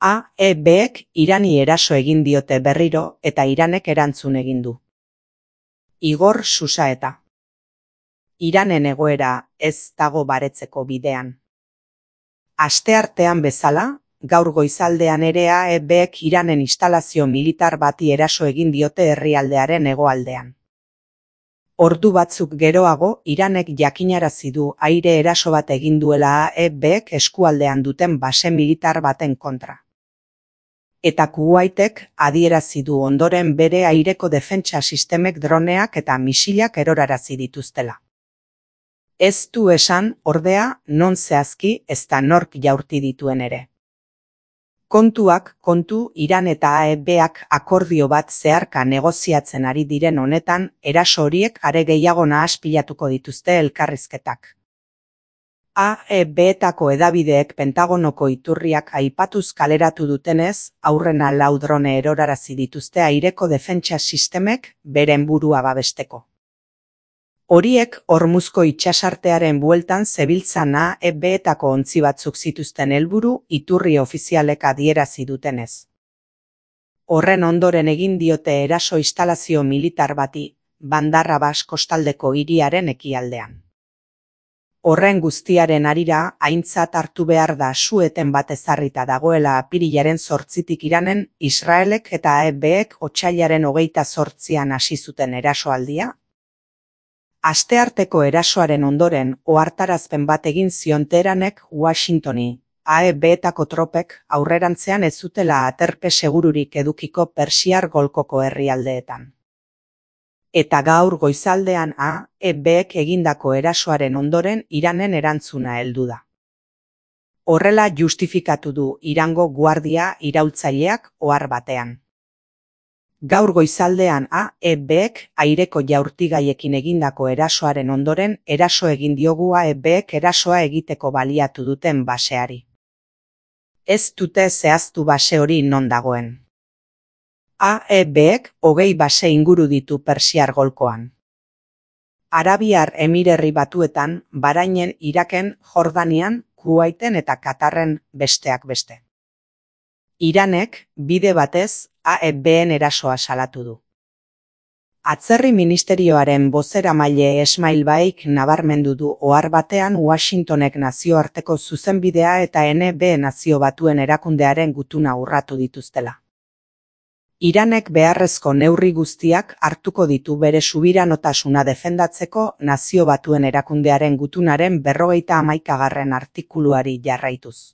AEBek Irani eraso egin diote berriro eta Iranek erantzun egin du. Igor Xusaeta. Iranen egoera ez dago baretzeko bidean. Asteartean bezala, gaur goizaldean ere AEBek Iranen instalazio militar bati eraso egin diote herrialdearen hegoaldean. Ordu batzuk geroago, Iranek jakinarazi du aire eraso bat egin duela AEBek eskualdean duten base militar baten kontra. Eta Kuwaitek adierazi du ondoren bere aireko defentsa sistemek droneak eta misilak erorarazi dituztela. Ez du esan, ordea, non zehazki ezta nork jaurti dituen ere. Kontuak kontu, Iran eta AEBak akordio bat zeharka negoziatzen ari diren honetan, eraso horiek are gehiago nahaspilatuko dituzte elkarrizketak. AEBetako hedabideek Pentagonoko iturriak aipatuz kaleratu dutenez, aurrena 4 drone erorarazi dituzte aireko defentsa sistemek beren burua babesteko. Horiek Hormuzko itsasartearen bueltan zebiltzan AEBetako ontzi batzuk zituzten helburu iturri ofizialek adierazi dutenez. Horren ondoren egin diote eraso instalazio militar bati, Bandar Abbas kostaldeko hiriaren ekialdean. Horren guztiaren harira, aintzat hartu behar da su-eten bat ezarrita dagoela apirilaren 8tik Iranen, Israelek eta AEBek otsailaren 28an hasi zuten erasoaldia. Astearteko erasoaren ondoren, ohartarazpen bat egin zion Teheranek Washingtoni, AEBetako tropek aurrerantzean ez zutela aterpe segururik edukiko Persiar golkoko herrialdeetan. Eta gaur goizaldean AEBek egindako erasoaren ondoren Iranen erantzuna heldu da. Horrela justifikatu du Irango guardia iraultzaileak ohar batean. Gaur goizaldean AEBek aireko jaurtigaiekin egindako erasoaren ondoren eraso egin diogu AEBek erasoa egiteko baliatu duten baseari. Ez dute zehaztu base hori non dagoen. AEBek 20 base inguru ditu Persiar golkoan. Arabiar Emirerri Batuetan, Bahrainen, Iraken, Jordanian, Kuwaiten eta Katarren besteak beste. Iranek, bide batez, AEBen erasoa salatu du. Atzerri ministerioaren bozeramaile Esmail Baik nabarmendu du ohar batean Washingtonek nazioarteko zuzenbidea eta NB Nazio Batuen erakundearen gutuna urratu dituztela. Iranek beharrezko neurri guztiak hartuko ditu bere subiranotasuna defendatzeko Nazio Batuen erakundearen gutunaren 51. artikuluari jarraituz.